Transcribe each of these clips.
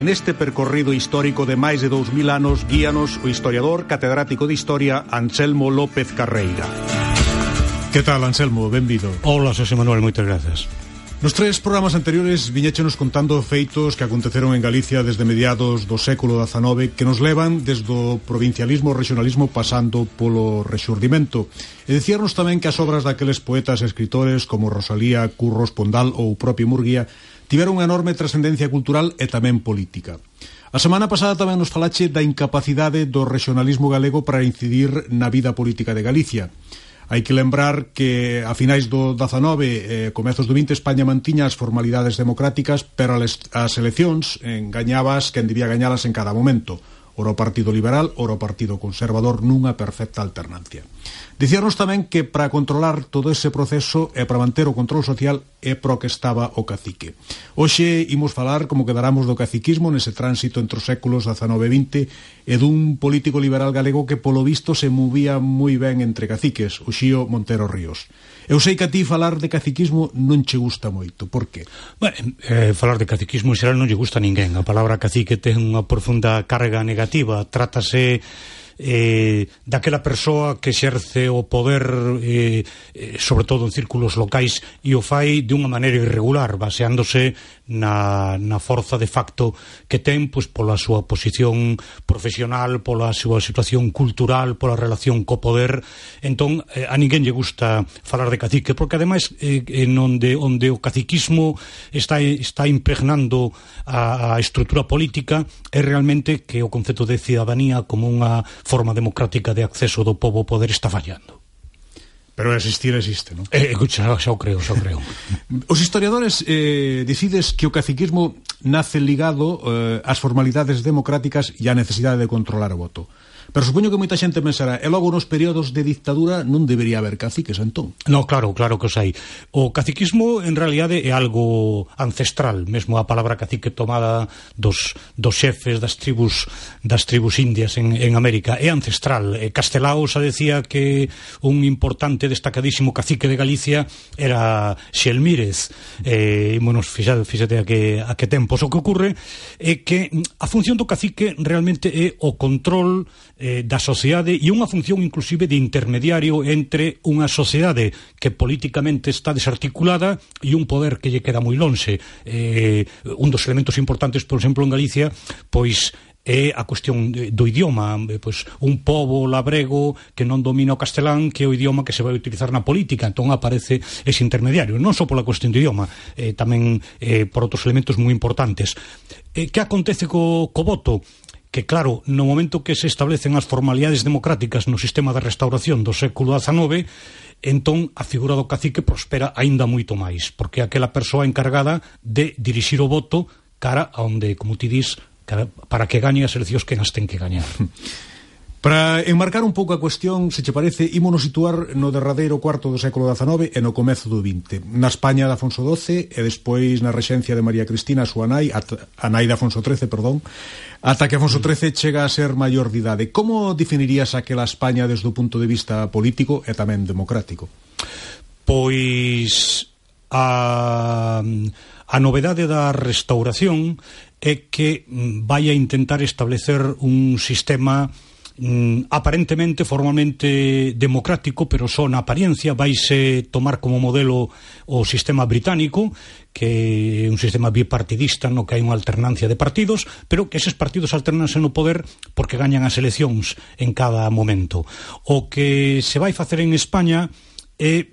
Neste percorrido histórico de máis de 2000 anos guíanos o historiador catedrático de Historia Anselmo López Carreira. Que tal, Anselmo? Benvido. Hola, Xosé Manuel, moitas grazas. Nos tres programas anteriores viñéchenos contando feitos que aconteceron en Galicia desde mediados do século XIX que nos levan desde o provincialismo ao regionalismo pasando polo rexurdimento. E dicíarnos tamén que as obras daqueles poetas e escritores como Rosalía, Curros, Pondal ou o propio Murguía tiveron unha enorme trascendencia cultural e tamén política. A semana pasada tamén nos falache da incapacidade do regionalismo galego para incidir na vida política de Galicia. Hai que lembrar que a finais do 19 e comezos do 20 España mantiña as formalidades democráticas, pero as eleccións gañabas quen debía gañalas en cada momento. Ora o Partido Liberal, ora o Partido Conservador, nunha perfecta alternancia. Dicíanos tamén que para controlar todo ese proceso e para manter o control social é pro que estaba o cacique. Hoxe imos falar como quedaramos do caciquismo nese tránsito entre os séculos XIX e XX e dun político liberal galego que polo visto se movía moi ben entre caciques, o Xío Montero Ríos. Eu sei que a ti falar de caciquismo non che gusta moito, por que? Falar de caciquismo en xeral non lle gusta a ninguén. A palabra cacique ten unha profunda carga negativa. Trátase daquela persoa que exerce o poder sobre todo en círculos locais e o fai de unha maneira irregular, baseándose na forza de facto que ten pois pola súa posición profesional, pola súa situación cultural, pola relación co poder. Entón a ninguén lle gusta falar de cacique, porque ademais onde o caciquismo está impregnando a estrutura política é realmente que o concepto de cidadanía como unha forma democrática de acceso do pobo ao poder está fallando. Pero existir existe, non? Xa o creo. Os historiadores decides que o caciquismo nace ligado ás formalidades democráticas e á necesidade de controlar o voto. Pero supoño que moita xente pensará e logo nos períodos de dictadura non debería haber caciques, entón? No, claro que os hai. O caciquismo en realidade é algo ancestral, mesmo a palabra cacique tomada dos xefes das tribus indias en América é ancestral. Castelao xa decía que un importante destacadísimo cacique de Galicia era Xelmírez. Ímonos fíxate a que tempos. O que ocorre é que a función do cacique realmente é o control da sociedade e unha función inclusive de intermediario entre unha sociedade que políticamente está desarticulada e un poder que lle queda moi lonxe. Un dos elementos importantes, por exemplo, en Galicia, pois é a cuestión do idioma, pois un pobo labrego que non domina o castelán, que é o idioma que se vai utilizar na política, entón aparece ese intermediario, non só pola cuestión do idioma, tamén por outros elementos moi importantes. Que acontece co voto? Que claro, no momento que se establecen as formalidades democráticas no sistema de restauración do século XIX, entón a figura do cacique prospera aínda moito máis, porque é aquela persoa encargada de dirixir o voto cara a onde, como ti dis, para que gañen as eleccións que nas ten que gañar. Para enmarcar un pouco a cuestión, se che parece, ímonos situar no derradeiro cuarto do século XIX e no comezo do XX. Na España de Afonso XII e despois na rexencia de María Cristina, a súa nai, a nai de Afonso XIII, ata que Afonso XIII chega a ser maior de idade. Como definirías aquela España desde o punto de vista político e tamén democrático? Pois a novedade da restauración é que vai a intentar establecer un sistema aparentemente, formalmente democrático, pero só na apariencia. Vaise tomar como modelo o sistema británico, que é un sistema bipartidista no que hai unha alternancia de partidos, pero que eses partidos alternanse no poder porque gañan as eleccións en cada momento. O que se vai facer en España é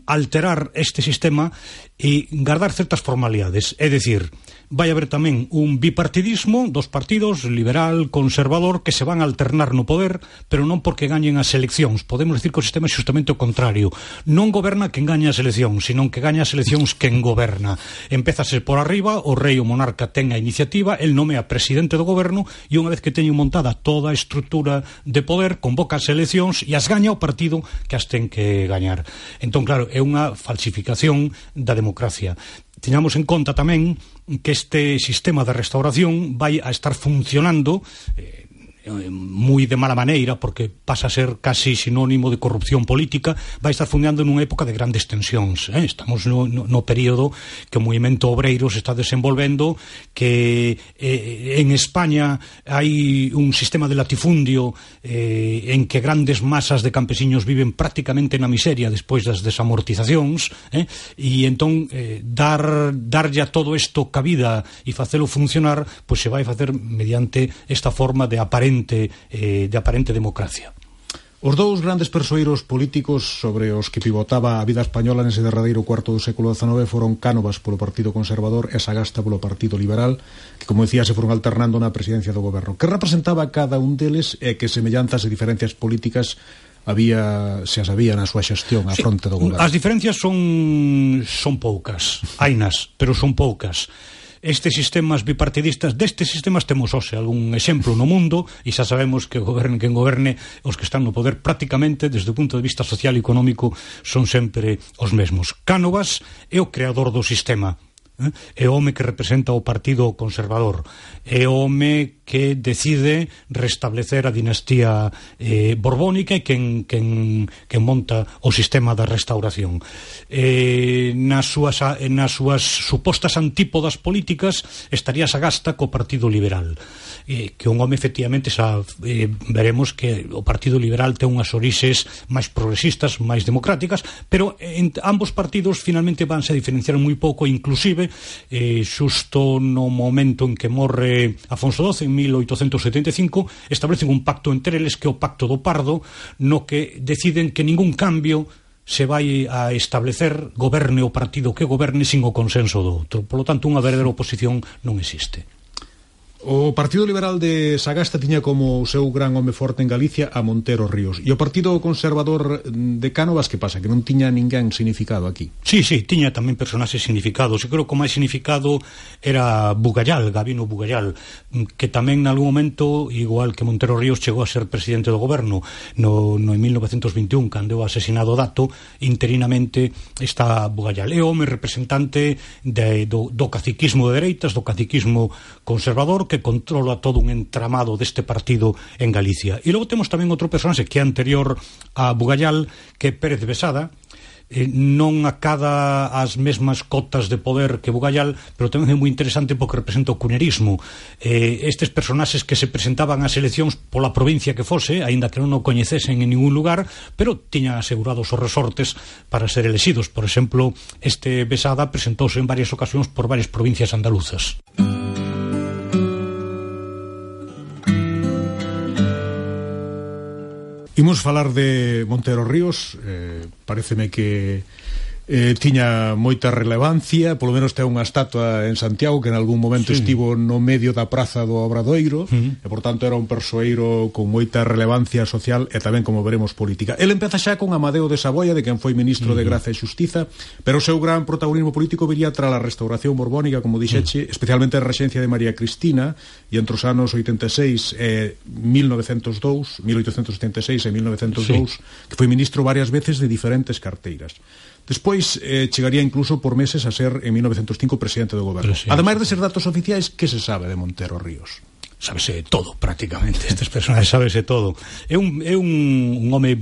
alterar este sistema e guardar certas formalidades, é dicir, vai haber tamén un bipartidismo dos partidos, liberal, conservador, que se van a alternar no poder, pero non porque gañen as eleccións. Podemos decir que o sistema é justamente o contrario. Non goberna quen gaña as eleccións, senón que gaña as eleccións quen goberna. Empézase por arriba, o rei ou monarca ten a iniciativa, el nomea presidente do goberno e unha vez que teñen montada toda a estrutura de poder, convoca as eleccións e as gaña o partido que as ten que gañar. Entón, claro, é unha falsificación da democracia. Teñamos en conta tamén que este sistema de restauración vai a estar funcionando moi de mala maneira, porque pasa a ser casi sinónimo de corrupción política, vai estar fundeando nunha época de grandes tensións. Estamos no período que o movimento obreiro se está desenvolvendo, que en España hai un sistema de latifundio en que grandes masas de campesiños viven prácticamente na miseria despois das desamortizacións, e entón darlle a todo isto cabida e facelo funcionar, pois se vai facer mediante esta forma de aparente democracia. Os dous grandes persoeiros políticos sobre os que pivotaba a vida española nese derradeiro cuarto do século XIX foron Cánovas polo Partido Conservador e Sagasta polo Partido Liberal, que, como decía, se foron alternando na presidencia do goberno. Que representaba cada un deles e que semellanzas e diferencias políticas se as había na súa xestión á fronte do goberno? As diferencias son poucas, hainas, pero son poucas. Estes sistemas bipartidistas, destes sistemas temos hoxe algún exemplo no mundo, e xa sabemos que goberne quen goberne, os que están no poder prácticamente desde o punto de vista social e económico son sempre os mesmos. Cánovas é o creador do sistema, é o home que representa o Partido Conservador, é o home que decide restablecer a dinastía borbónica e quen monta o sistema da restauración. Nas súas supostas antípodas políticas estaría Sagasta co Partido Liberal, que un home efectivamente veremos que o Partido Liberal ten unhas orixes máis progresistas, máis democráticas, pero ambos partidos finalmente vanse a diferenciar moi pouco, inclusive xusto no momento en que morre Afonso XII en 1875 establecen un pacto entre eles, que é o Pacto do Pardo, no que deciden que ningún cambio se vai a establecer, goberne o partido que goberne, sin o consenso do outro. Por lo tanto, unha verdadeira oposición non existe. O Partido Liberal de Sagasta tiña como o seu gran home forte en Galicia a Montero Ríos, e o Partido Conservador de Cánovas, que pasa? Que non tiña ninguén significado aquí? Sí, tiña tamén personaxes significados. Eu creo que o máis significado era Bugallal, Gabino Bugallal, que tamén en algún momento, igual que Montero Ríos, chegou a ser presidente do goberno no 1921, cando é asesinado Dato. Interinamente está Bugallal. É o home representante do caciquismo de dereitas, do caciquismo conservador, que controla todo un entramado deste partido en Galicia. E logo temos tamén outro personaxe que é anterior a Bugallal, que é Pérez Besada, non acada as mesmas cotas de poder que Bugallal, pero tamén é moi interesante porque representa o cunerismo. Estes personaxes que se presentaban ás eleccións pola provincia que fose, aínda que non o coñecesen en ningún lugar, pero tiñan asegurados os resortes para ser elexidos. Por exemplo, este Besada presentouse en varias ocasións por varias provincias andaluzas. Imos falar de Montero Ríos. Paréceme que tiña moita relevancia, polo menos ten unha estatua en Santiago que en algún momento estivo no medio da praza do Obradoiro, e por tanto era un persoeiro con moita relevancia social e tamén, como veremos, política. El empeza xa con Amadeo de Saboia, de quen foi ministro de Graza e Xustiza, pero o seu gran protagonismo político viría tras a restauración borbónica, como dixeche, especialmente a rexencia de María Cristina, e entre os anos 86 e 1876 e 1902, que foi ministro varias veces de diferentes carteiras. Despois chegaría incluso por meses a ser en 1905 presidente do goberno. Ademais de ser datos oficiais, que se sabe de Montero Ríos? Sábese todo, prácticamente. Estes personaxes sábese todo. É un home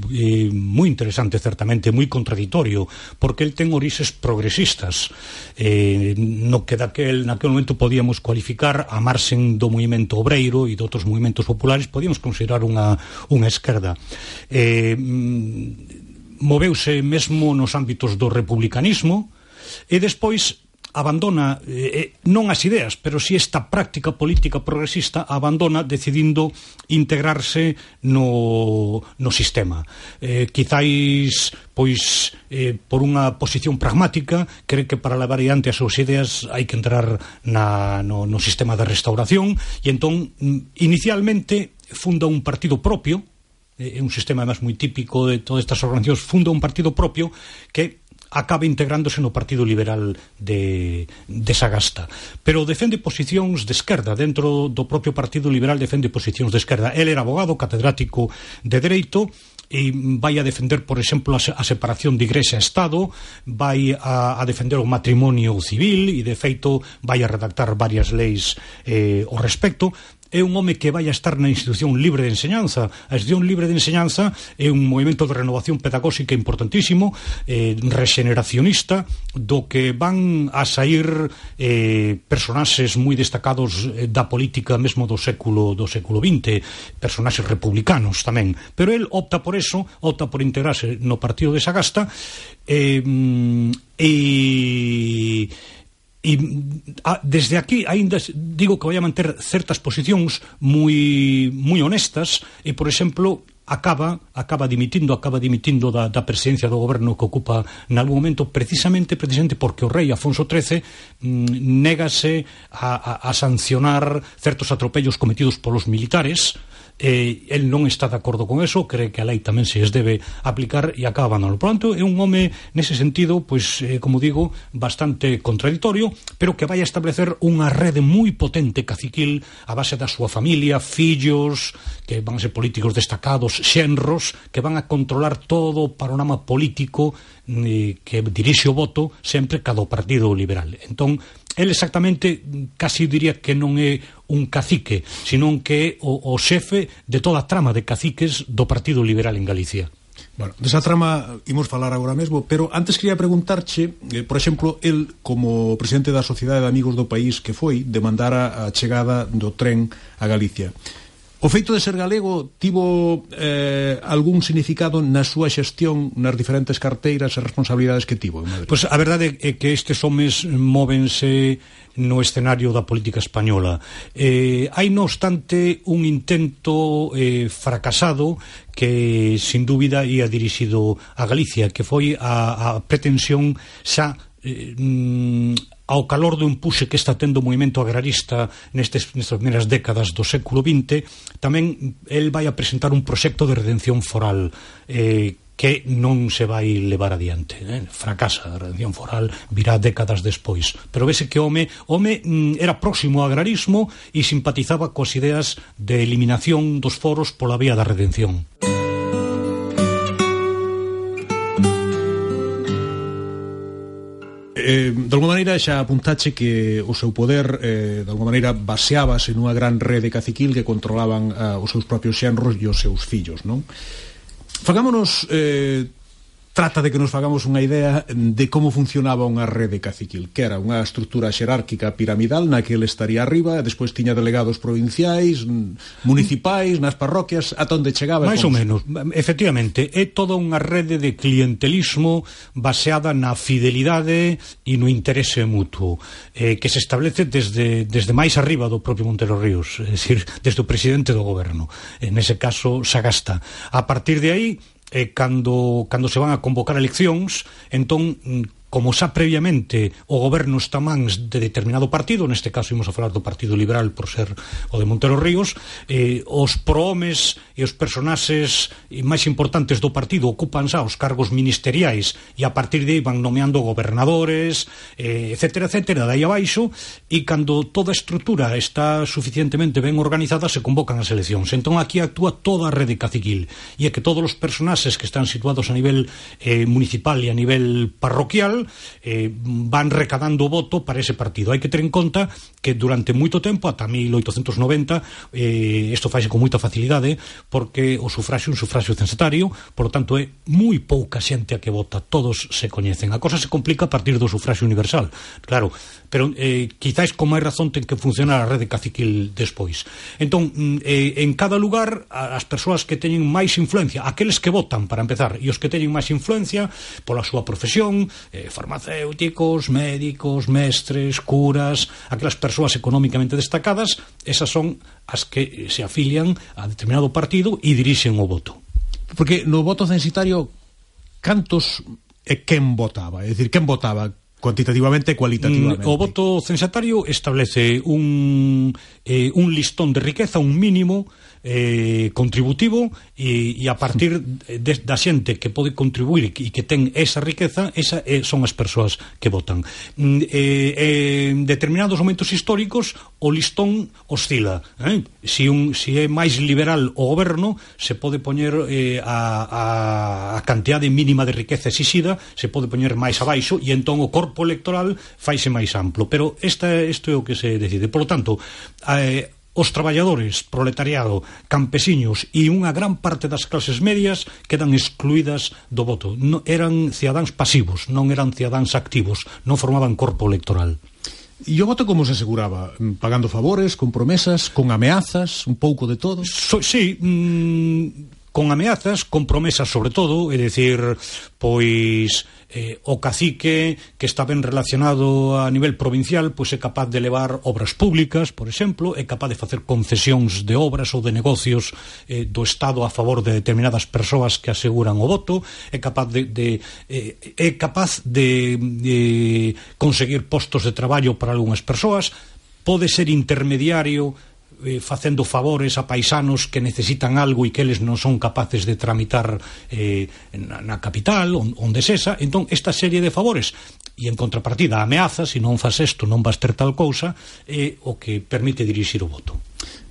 moi interesante, certamente, moi contradictorio, porque el ten orixes progresistas, no que naquel momento podíamos cualificar a marxen do movimento obreiro e de outros movimentos populares, podíamos considerar unha esquerda. Moveuse mesmo nos ámbitos do republicanismo e despois abandona non as ideas, pero si esta práctica política progresista abandona decidindo integrarse no sistema. Quizáis por unha posición pragmática, cree que para levar adiante as súas ideas hai que entrar no sistema de restauración, e entón inicialmente funda un partido propio. É un sistema además moi típico de todas estas organizacións. Funda un partido propio que acaba integrándose no Partido Liberal de Sagasta, pero defende posicións de esquerda. Dentro do propio Partido Liberal defende posicións de esquerda. El era abogado, catedrático de Dereito, e vai a defender, por exemplo, a separación de Igrexa e Estado, vai a defender o matrimonio civil, e de feito vai a redactar varias leis ao respecto. é un home que vai a estar na institución libre de enseñanza. A institución libre de enseñanza é un movimento de renovación pedagóxica importantísimo, regeneracionista, do que van a sair personaxes moi destacados da política mesmo do século XX, personaxes republicanos tamén, pero el opta por eso, opta por integrarse no partido de Sagasta, desde aquí aínda digo que vai a manter certas posicións moi honestas e, por exemplo, acaba dimitindo da presidencia do goberno que ocupa nalgún momento precisamente porque o rei Afonso XIII négase a sancionar certos atropellos cometidos polos militares. El non está de acordo con eso, cree que a lei tamén se les debe aplicar e acaba abandono. Por tanto, é un home nese sentido, pois, como digo, bastante contradictorio, pero que vai a establecer unha rede moi potente caciquil a base da súa familia, fillos que van a ser políticos destacados, xenros que van a controlar todo o panorama político que dirixe o voto sempre cada Partido Liberal. Entón, el exactamente casi diría que non é un cacique, senón que é o xefe de toda a trama de caciques do Partido Liberal en Galicia. Bueno, desa trama imos falar agora mesmo, pero antes quería preguntarche, por exemplo, el como presidente da Sociedade de Amigos do País que foi, demandara a chegada do tren a Galicia. O feito de ser galego tivo algún significado na súa xestión nas diferentes carteiras e responsabilidades que tivo en Madrid? Pois a verdade é que estes homes móvense no escenario da política española. Hai, non obstante, un intento fracasado que, sin dúbida, ia dirixido a Galicia, que foi a pretensión xa ao calor do empuxe que está tendo o movimento agrarista nestas primeiras décadas do século XX, tamén el vai a presentar un proxecto de redención foral que non se vai levar adiante. Fracasa a redención foral, virá décadas despois. Pero vese que o home era próximo ao agrarismo e simpatizaba coas ideas de eliminación dos foros pola vía da redención. De alguma maneira xa apuntache que o seu poder de alguma maneira baseábase nunha gran rede caciquil que controlaban os seus propios xenros e os seus fillos, non? Fagámonos trata de que nos fagamos unha idea de como funcionaba unha rede caciquil, que era unha estrutura xerárquica piramidal na que ele estaría arriba, despois tiña delegados provinciais, municipais, nas parroquias, ata onde chegaba. Mais ou menos, efectivamente, é toda unha rede de clientelismo baseada na fidelidade e no interese mutuo, que se establece desde máis arriba do propio Montero Ríos, é dicir, desde o presidente do goberno, nese caso Sagasta. A partir de aí, cando se van a convocar eleccións, entón, como xa previamente o goberno está mans de determinado partido, neste caso imos a falar do Partido Liberal por ser o de Montero Ríos, os prohomes e os personaxes máis importantes do partido ocupan xa os cargos ministeriais e a partir de aí van nomeando gobernadores, etcétera, dai abaixo, e cando toda a estrutura está suficientemente ben organizada se convocan as eleccións. Entón aquí actúa toda a rede caciquil e é que todos os personaxes que están situados a nivel municipal e a nivel parroquial van recadando voto para ese partido. Hai que ter en conta que durante moito tempo, ata 1890, isto faise con moita facilidade, porque o sufraxio é un sufraxio censatario, por lo tanto é moi pouca xente a que vota, todos se coñecen. A cosa se complica a partir do sufraxio universal, claro, pero quizáis con máis razón ten que funcionar a rede caciquil despois. Entón, en cada lugar, as persoas que teñen máis influencia, aqueles que votan, para empezar, e os que teñen máis influencia pola súa profesión, farmacéuticos, médicos, mestres, curas, aquelas persoas económicamente destacadas, esas son as que se afilian a determinado partido e dirixen o voto. Porque no voto censitario, cantos e quen votaba? É dicir, quen votaba cuantitativamente e cualitativamente? O voto censatario establece un listón de riqueza, un mínimo contributivo, e a partir da xente que pode contribuir e que ten esa riqueza, son as persoas que votan. En determinados momentos históricos o listón oscila, si é máis liberal o goberno, se pode poñer a cantidade mínima de riqueza exixida, se pode poñer máis abaixo, e entón o corpo electoral faise máis amplo, pero isto é o que se decide. Por lo tanto, os traballadores, proletariado, campesiños e unha gran parte das clases medias quedan excluídas do voto. Eran cidadáns pasivos, non eran cidadáns activos, non formaban corpo electoral. E o voto como se aseguraba? Pagando favores, con promesas, con ameazas, un pouco de todo? Sí, con ameazas, con promesas sobre todo, é dicir, pois o cacique que está ben relacionado a nivel provincial pois é capaz de levar obras públicas, por exemplo, é capaz de facer concesións de obras ou de negocios do Estado a favor de determinadas persoas que aseguran o voto, é capaz de conseguir postos de traballo para algunhas persoas, pode ser intermediario facendo favores a paisanos que necesitan algo e que eles non son capaces de tramitar na capital, onde sesa. Entón, esta serie de favores e en contrapartida ameazas, se non fas isto non vas ter tal cousa, é o que permite dirixir o voto.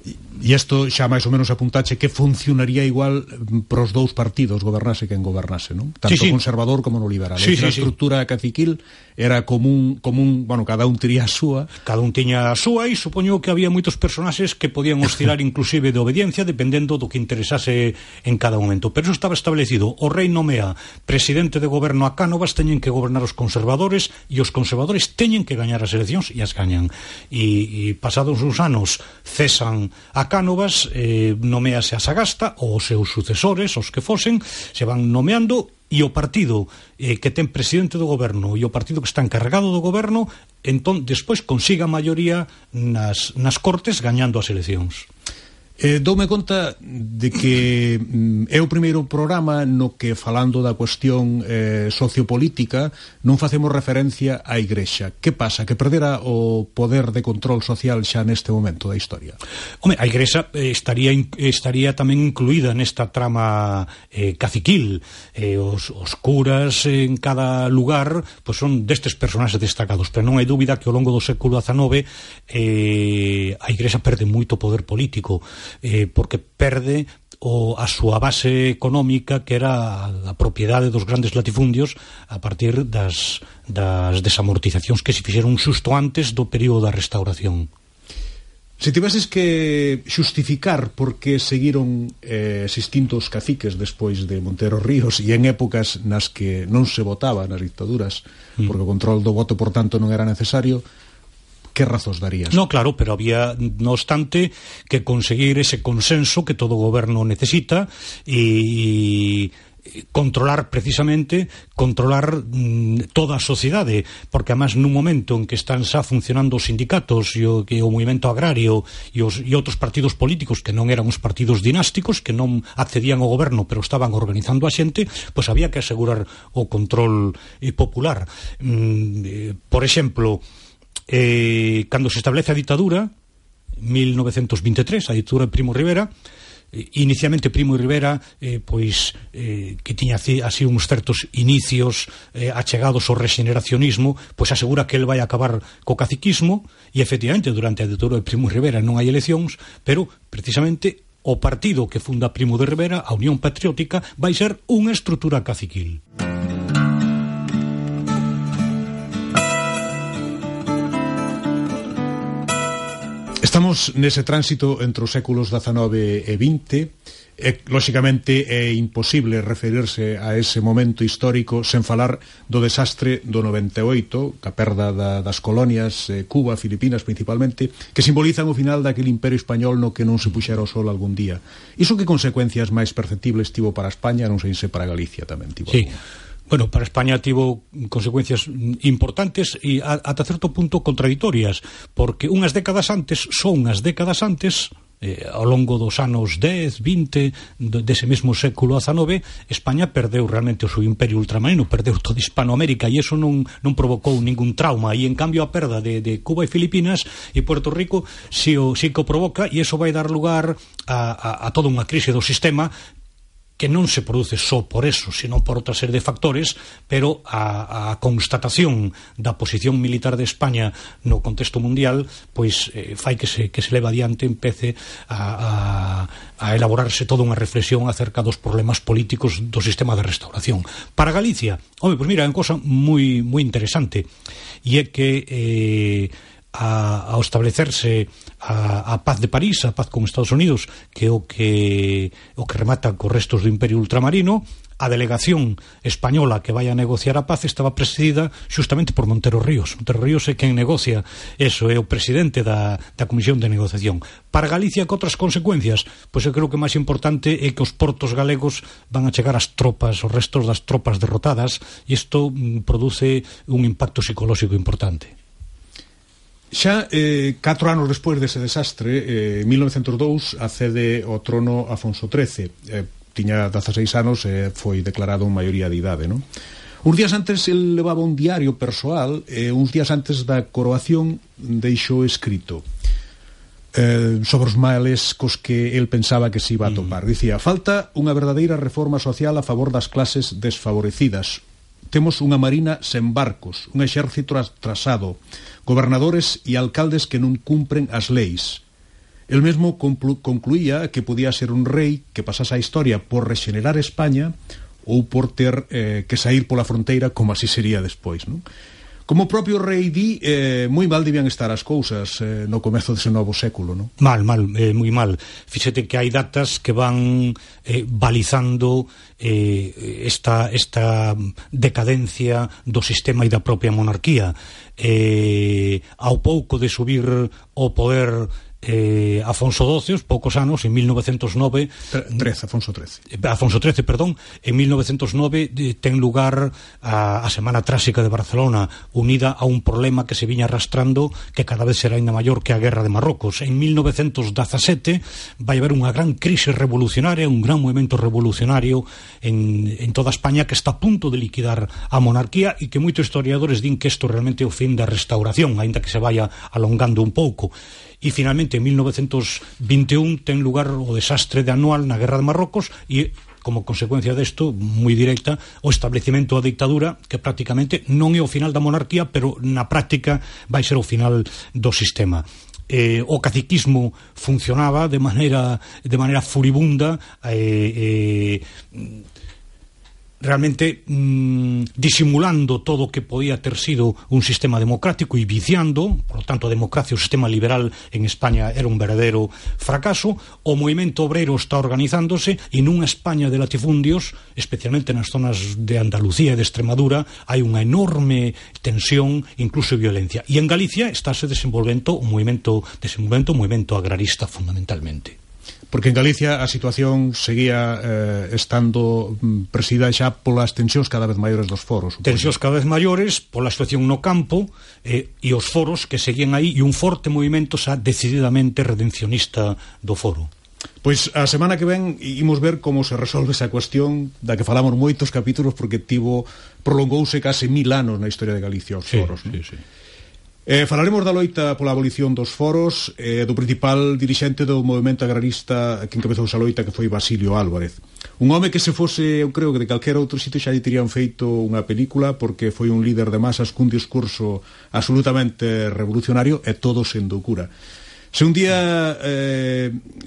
E isto xa máis ou menos apuntache que funcionaría igual pros dous partidos, gobernase quen gobernase, non? Tanto sí. Conservador como no liberal. Sí, a estrutura caciquil era común, bueno, cada un tiría a súa. Cada un tiña a súa e supoño que había moitos personaxes que podían oscilar inclusive de obediencia dependendo do que interesase en cada momento. Pero eso estaba establecido. O rei nomea presidente de goberno a Cánovas, teñen que gobernar os conservadores e os conservadores teñen que gañar as eleccións e as gañan. E pasados uns anos cesan a Cánovas, nomease a Sagasta ou os seus sucesores, os que fosen, se van nomeando e o partido que ten presidente do goberno e o partido que está encarregado do goberno entón despois consiga a maioría nas cortes gañando as eleccións. Doume conta de que é o primeiro programa no que, falando da cuestión sociopolítica, non facemos referencia á Igrexa. Que pasa? Que perdera o poder de control social xa neste momento da historia? Home, a Igrexa estaría tamén incluída nesta trama caciquil. Os curas en cada lugar pois son destes personaxes destacados, pero non hai dúbida que ao longo do século XIX a Igrexa perde moito poder político, porque perde a súa base económica, que era a propiedade dos grandes latifundios a partir das desamortizacións que se fixeron xusto antes do período da Restauración. Se tiveses que xustificar por que seguiron existindo os caciques despois de Montero Ríos e en épocas nas que non se votaba nas dictaduras, porque o control do voto, por tanto, non era necesario, que razóns darías? No, claro, pero había, no obstante, que conseguir ese consenso que todo goberno necesita e controlar toda a sociedade, porque además nun momento en que están xa funcionando os sindicatos e o movimento agrario e outros partidos políticos que non eran os partidos dinásticos, que non accedían ao goberno pero estaban organizando a xente, pois había que asegurar o control popular. Por exemplo, cando se establece a ditadura 1923, a ditadura de Primo de Rivera, inicialmente Primo de Rivera que tiña así uns certos inicios achegados ao rexeneracionismo, pois asegura que el vai acabar co caciquismo e efectivamente durante a ditadura de Primo de Rivera non hai eleccións, pero precisamente o partido que funda Primo de Rivera, a Unión Patriótica, vai ser unha estrutura caciquil. Estamos nese tránsito entre os séculos XIX e XX. Lóxicamente é imposible referirse a ese momento histórico sen falar do desastre do 98, ca perda das colonias, Cuba, Filipinas principalmente, que simbolizan o final daquele imperio español no que non se puxera o sol algún día. Iso que consecuencias máis perceptibles tivo para España, non sei se para Galicia tamén tivo? Sí. Bueno, para España tivo consecuencias importantes e ata certo punto contradictorias, porque unhas décadas antes, ao longo dos anos 10, 20 dese mesmo século XIX, España perdeu realmente o seu imperio ultramarino, perdeu toda Hispanoamérica, e iso non provocou ningún trauma, e en cambio a perda de Cuba e Filipinas e Puerto Rico sí que o provoca, e iso vai dar lugar a toda unha crise do sistema que non se produce só por eso, sino por outra serie de factores, pero a constatación da posición militar de España no contexto mundial pois fai que se leva adiante, empece a elaborarse toda unha reflexión acerca dos problemas políticos do sistema de restauración. Para Galicia, pois mira, é unha cosa moi moi interesante, e é que ao establecerse a paz de París, a paz con Estados Unidos, que é o que remata cos restos do Imperio Ultramarino. A delegación española que vai a negociar a paz estaba presidida xustamente por Montero Ríos. Montero Ríos é quen negocia eso, é o presidente da Comisión de Negociación. Para Galicia, que outras consecuencias? Pois eu creo que o máis importante é que os portos galegos van a chegar as tropas, os restos das tropas derrotadas, e isto produce un impacto psicolóxico importante. Xa 4 anos despois dese desastre, en 1902 accede ao trono Afonso XIII. Tiña 16 anos e foi declarado en maioría de idade, non? Uns días antes el levaba un diario persoal e uns días antes da coroación deixou escrito sobre os males cos que el pensaba que se iba a topar. Dicía: falta unha verdadeira reforma social a favor das clases desfavorecidas. Temos unha marina sen barcos, un exército atrasado, gobernadores e alcaldes que non cumpren as leis. El mesmo concluía que podía ser un rei que pasase a historia por rexenerar España ou por ter que sair pola fronteira, como así sería despois, non? Como o propio rei di, moi mal debían estar as cousas no comezo dese novo século, non? Mal, moi mal. Fíxate que hai datas que van balizando esta decadencia do sistema e da propia monarquía. Ao pouco de subir ao poder Afonso XII, os poucos anos, en 1909 Afonso XIII, perdón, en 1909 ten lugar a Semana Tráxica de Barcelona, unida a un problema que se viña arrastrando, que cada vez será ainda maior, que a Guerra de Marrocos. En 1917 vai haber unha gran crise revolucionaria, un gran movimento revolucionario en toda España, que está a punto de liquidar a monarquía, e que moitos historiadores din que isto realmente é o fin da restauración, aínda que se vaya alongando un pouco. E finalmente en 1921 ten lugar o desastre de Anual na Guerra de Marrocos, e como consecuencia desto, moi directa, o establecimento da dictadura, que prácticamente non é o final da monarquía, pero na práctica vai ser o final do sistema. O caciquismo funcionaba de maneira furibunda, realmente disimulando todo o que podía ter sido un sistema democrático e viciando. Por lo tanto, a democracia, o sistema liberal en España era un verdadeiro fracaso. O movimento obreiro está organizándose, e nunha España de latifundios, especialmente nas zonas de Andalucía e de Extremadura, hai unha enorme tensión, incluso violencia. E en Galicia estáse desenvolvendo un movimento agrarista fundamentalmente. Porque en Galicia a situación seguía estando presidida xa polas tensións cada vez maiores dos foros. Tensións cada vez maiores pola situación no campo, e os foros que seguían aí, e un forte movimento xa decididamente redencionista do foro. Pois a semana que ven imos ver como se resolve esa cuestión da que falamos moitos capítulos, porque prolongouse case 1000 anos na historia de Galicia os foros. Sí. Falaremos da loita pola abolición dos foros, do principal dirixente do movimento agrarista que encabezou esa loita, que foi Basilio Álvarez. Un home que se fose, eu creo que de calquera outro sitio xa lle terían feito unha película, porque foi un líder de masas cun discurso absolutamente revolucionario, e todo sendo cura. Se un día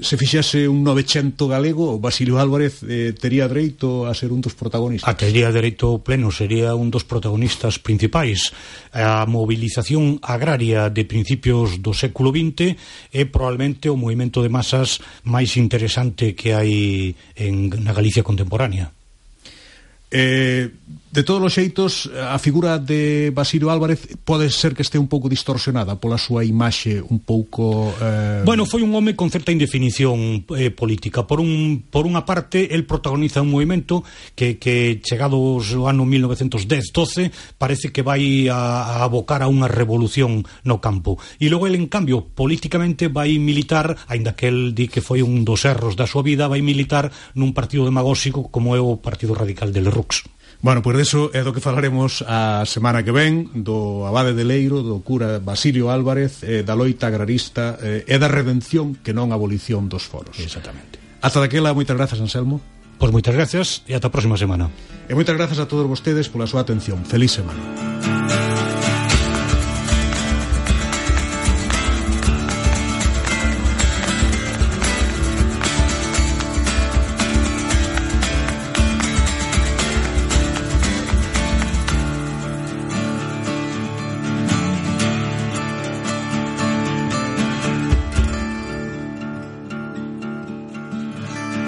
se fixese un 900 galego, Basilio Álvarez tería dereito a ser un dos protagonistas. Tería dereito pleno, sería un dos protagonistas principais. A movilización agraria de principios do século XX é probablemente o movimento de masas máis interesante que hai na Galicia contemporánea. De todos os xeitos, a figura de Basilio Álvarez pode ser que este un pouco distorsionada pola súa imaxe un pouco... Bueno, foi un home con certa indefinición política. Por unha parte, el protagoniza un movimento que chegados ao ano 1910-12 parece que vai a abocar a unha revolución no campo. E logo el, en cambio, políticamente vai militar, aínda que el di que foi un dos erros da súa vida, vai militar nun partido demagóxico como é o Partido Radical de Lerroux. Bueno, pois deso é do que falaremos a semana que ven, do abade de Leiro, do cura Basilio Álvarez, da loita agrarista e da redención, que non a abolición dos foros. Exactamente. Ata daquela, moitas grazas, Anselmo. Pois moitas grazas e ata a próxima semana. E moitas grazas a todos vostedes pola súa atención. Feliz semana.